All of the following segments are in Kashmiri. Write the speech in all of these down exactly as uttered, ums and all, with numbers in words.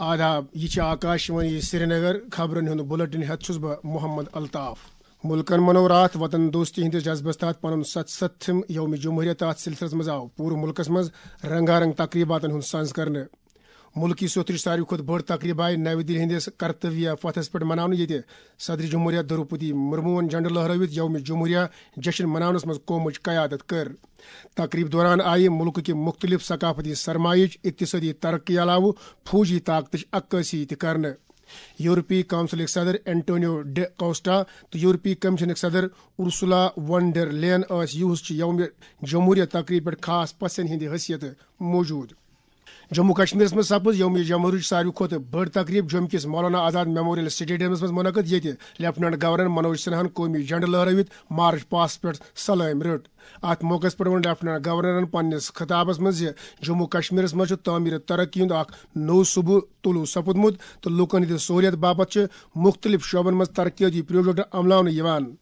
آداب، یہِ چھِ آکاشوانی سرینگر۔ خبرن ہُنٛد بُلٹن ہٮ۪تھ چھُس بہٕ محمد الطاف۔ مُلکن منوو راتھ وطن دوستی ہٕنٛدِس جذبس تحت پنُن ستستھم یوم جمہوریہ۔ تتھ سلسلس منٛز آو پوٗرٕ مُلکس منٛز رنگا رنگ تقریباتن ہُنٛد سنز کرنہٕ۔ مُلکی سوٚتھٕچ ساروی کھۄتہٕ بٔڑ تقریبہ آیہِ نَوِ دِلہِ ہٕنٛدِس کرتویہ پتھس پٮ۪ٹھ مناونہٕ، ییٚتہِ صدر جمہوریہ دروپدی مرموہن جھنڈٕ لہرٲوِتھ یوم جمہوریہ جشن مناونس منٛز قومٕچ قیادت کٔر۔ تقریب دوران آیہِ مُلکٕکہِ مُختٔلِف ثقافتی سرمایہٕچ، اقتصٲدی ترقی علاوٕ فوجی طاقتٕچ عکٲسی تہِ کرنہٕ۔ یورپی کونسلٕکۍ صدر اینٹونیو ڈی کوسٹا تہٕ یورپی کمیشنٕکۍ صدر ارسلا ون ڈر لین ٲسۍ یوہس چہِ یوم جمہوریہ تقریب پٮ۪ٹھ خاص پژھن ہٕنٛدِ حیثیتہٕ موجود۔ جموں کشمیرس منٛز سپٕز یوم جمہوریہٕچ ساروی کھۄتہٕ بٔڑ تقریب جوٚمہِ کِس مولانا آزاد میموریل سٹیڈیمس منٛز منعقد، ییٚتہِ لیفٹیننٹ گورنر منوج سنہاہن قومی جھنڈٕ لہرٲوِتھ مارچ پاسٹ پٮ۪ٹھ سلٲمۍ رٔٹ۔ اتھ موقعس پٮ۪ٹھ ووٚن لیفٹیننٹ گورنرن پننِس خطابس منٛز زِ جموں کشمیرس منٛز چھُ تعمیٖر ترقی ہُنٛد اکھ نوٚو صوبہٕ طلوع سپُدمُت تہٕ لوٗکن ہٕنٛدِ سہوٗلیت باپتھ چھِ مُختٔلِف شعبن منٛز ترقیٲتی پروجیکٹ عملاونہٕ یِوان۔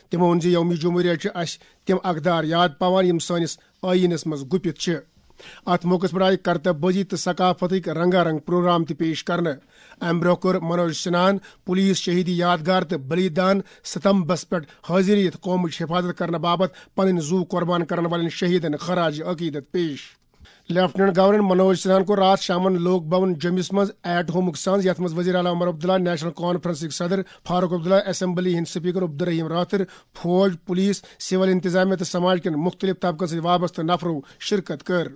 تِمو ووٚن زِ یوم جمہوریہ چھِ اسہِ تِم اقدار یاد پاوان، یِم سٲنِس ٲییٖنس منٛز گُپِتھ چھِ۔ اتھ موقعس پٮ۪ٹھ آیہِ کرتب بٲزی تہٕ ثقافتٕکۍ رنگا رنگ پروگرام تہِ پیش کرنہٕ۔ امہِ برٛونٛہہ کوٚر منوج سنہاہن پولیس شہیدی یادگار تہٕ بلیدان ستمبس پٮ۪ٹھ حٲضِر یِتھ قومٕچ حفاظت کرنہٕ باپتھ پنٕنۍ زُو قۄربان کرن والٮ۪ن شہیدن خراج عقیدت پیش۔ لیفٹیننٹ گورنر منوج سنہاہن کوٚر راتھ شامن لوک بھون جوٚمِس منٛز ایٹ ہومُک سنز، یتھ منٛز وزیر اعلیٰ عمر عبداللہ، نیشنل کانفرنسٕکۍ صدر فاروق عبداللہ، اسمبلی ہٕنٛدۍ سپیکر عبدالرحیم رٲتھر، فوج، پولیس، سول انتظامیہ تہٕ سماج کٮ۪ن مُختٔلِف طبقن سۭتۍ وابستہٕ نفرو شرکت کٔر۔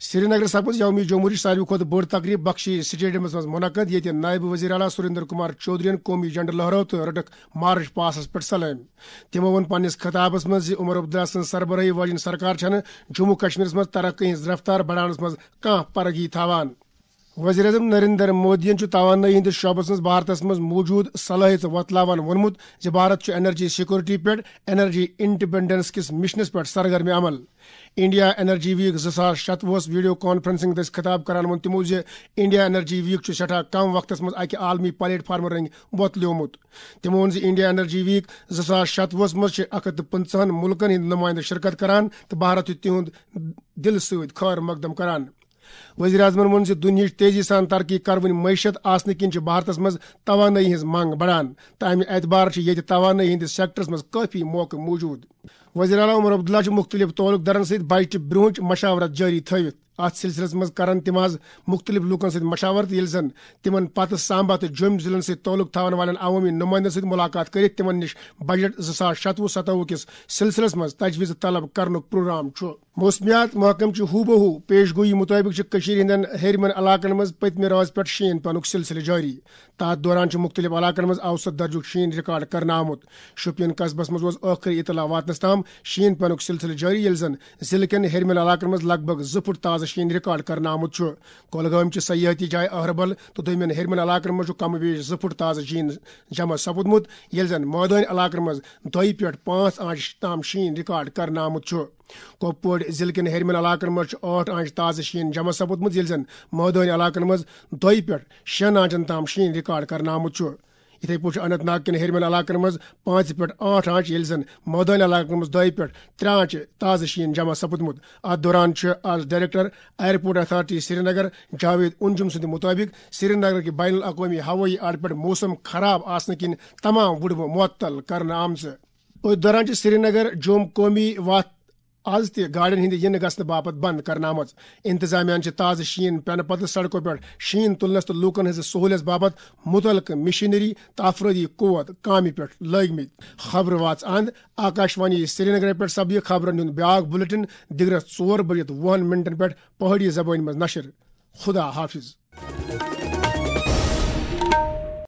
سرینگرٕ سپٕز یوم جمہوریہٕچ ساروی کھۄتہٕ بٔڑ تقریب بخشی سٹیڈیمس منٛز منعقد، ییٚتہِ نائب وزیر اعلیٰ سریندر کمار چودھرین قومی جھنڈٕ لہرٲو تہٕ رٔٹٕکھ مارچ پاسس پٮ۪ٹھ سلٲمۍ۔ تِمو ووٚن پننِس خطابس منٛز زِ عمر عبداللہ سٕنٛز سربرٲہی واجیٚنۍ سرکار چھنہٕ جموں کشمیرس منٛز ترقی ہٕنٛز رفتار بڑاونس منٛز کانٛہہ پرگی تھاوان۔ وزیر اعظم نریندر مودیَن چھُ توانٲیی ہٕنٛدِس شعبس منٛز بھارتس منٛز موجود صلٲحیژٕ وۄتلاوان ووٚنمُت زِ بھارت چھُ انرجی سیکورٹی پٮ۪ٹھ انرجی انڈیپنڈنس کِس مشنس پٮ۪ٹھ سرگرم عمل۔ انڈیا انرجی ویک زٕ ساس شتوُہس ویڈیو کانفرنسنگ دٔسۍ خطاب کران ووٚن تِمو زِ انڈیا انرجی ویک چھُ سٮ۪ٹھاہ کم وقتس منٛز اکہِ عالمی پلیٹ فارمہٕ رٔنگۍ وۄتلیومُت۔ تِمو ووٚن زِ انڈیا انرجی ویک زٕ ساس شتوُہس منٛز چھِ اکھ ہتھ تہٕ پٕنٛژٕہن مُلکن ہٕنٛدۍ نُمٲیندٕ شرکت کران تہٕ بھارت چھُ تِہُنٛد دِل سۭتۍ خٲر مقدم کران۔ وزیر اعظمن ووٚن زِ دُنیہٕچ تیزی سان ترقی کروٕنۍ معیشت آسنہٕ کِنۍ چھِ بھارتس منٛز توانٲیی ہٕنٛز منگ بڑان تہٕ امہِ اعتبار چھِ ییٚتہِ توانٲیی ہٕنٛدِس سیکٹرس منٛز کٲفی موقعہٕ موجود۔ وزیر اعلیٰ عمر عبداللہ چھُ مُختٔلِف تعلق دارن سۭتۍ بجٹہٕ برونٛہہ مشاورت جٲری تھٲوِتھ۔ اتھ سلسلس منٛز کرن تِم از مُختٔلِف لوٗکن سۭتۍ مشاورت، ییٚلہِ زن تِمن پتہٕ سامبا تہٕ جوٚمۍ ضلعن سۭتۍ تعلق تھاون والٮ۪ن عوٲمی نُمٲیندن سۭتۍ مُلاقات کٔرِتھ تِمن نِش بجٹ زٕ ساس شتوُہ ستوُہ کِس سلسلس منٛز تجویز طلب کرنُک پروگرام چھُ۔ موسمیات محکمہٕ چہِ ہوٗ بہ ہوٗ پیش گویی مُطٲبِق چھِ کٔشیٖرِ ہٕنٛدٮ۪ن ہیٚرمٮ۪ن علاقن منٛز پٔتمہِ رٲژ پٮ۪ٹھ شیٖن پینُک سلسلہٕ جٲری۔ تَتھ دوران چھُ مُختٔلِف علاقن منٛز اوسط درجُک شیٖن ریکارڈ کرنہٕ آمُت۔ شوپین قصبس منٛز اوس ٲخری اطلاع واتنس تام شیٖن پینُک سلسلہٕ جٲری، ییٚلہِ زن ضلعہٕ کٮ۪ن ہیٚرمٮ۪ن علاقن منٛز لگ بھگ زٕ فُٹ تازٕ شیٖن ریکارڈ کرنہٕ آمُت چھُ۔ کۄلگٲمۍ چہِ سیاحتی جایہِ اہربل تہٕ دوٚیمٮ۪ن ہیٚرمٮ۪ن علاقن منٛز چھُ کم و بیش زٕ فُٹ تازٕ شیٖن جمع سپُدمُت، ییٚلہِ زن مٲدٲنۍ علاقن منٛز دۄیہِ پٮ۪ٹھ پانٛژھ آنچہِ تام شیٖن ریکارڈ کرنہٕ آمُت چھُ۔ کۄپوٲڑۍ ضلعہٕ کٮ۪ن ہیٚرمٮ۪ن علاقن منٛز چھُ ٲٹھ آنچہِ تازٕ شیٖن جمع سپُدمُت، ییٚلہِ زن مٲدٲنۍ علاقن منٛز دۄیہِ پٮ۪ٹھ شیٚن آنچن تام شیٖن ریکارڈ کرنہٕ آمُت چھُ۔ یِتھے پٲٹھۍ چھُ اننت ناگ کٮ۪ن ہیٚرمٮ۪ن علاقن منٛز پانٛژِ پٮ۪ٹھ ٲٹھ آنچہِ، ییٚلہِ زن مٲدٲنۍ علاقن منٛز دۄیہِ پٮ۪ٹھ ترٛےٚ آنچہِ تازٕ شیٖن جمع سپُدمُت۔ اتھ دوران چھُ از director airport authority Srinagar Javed Anjum سٕنٛدِ مُطٲبِق سرینگر کہِ بین الاقوٲمی ہوٲیی اڈٕ پٮ۪ٹھ موسم خراب آسنہٕ کِنۍ تمام وُڈبہٕ معطل کرنہٕ آمژٕ۔ أتھۍ دوران چھِ سرینگر جوٚم قومی وتھ از تہِ گاڑٮ۪ن ہٕنٛدِ یِنہٕ گژھنہٕ باپتھ بنٛد کرنہٕ آمٕژ۔ انتظامیہ ہَن چھِ تازٕ شیٖن پٮ۪نہٕ پتہٕ سڑکو پٮ۪ٹھ شیٖن تُلنس تہٕ لوٗکن ہٕنٛزِ سہوٗلیژ باپتھ مُتعلقہٕ مشینری تہٕ افرٲدی قوت کامہِ پٮ۪ٹھ لٲگمٕتۍ۔ خبرٕ واژ اند۔ آکاشوانی سرینگرٕ پٮ۪ٹھ سپدِ خبرن ہُنٛد بیٛاکھ بُلٹن دِگرس ژور بجہِ تہٕ وُہن منٹن پٮ۪ٹھ پہٲڑی زبٲنۍ منٛز نشر۔ خدا حافظ۔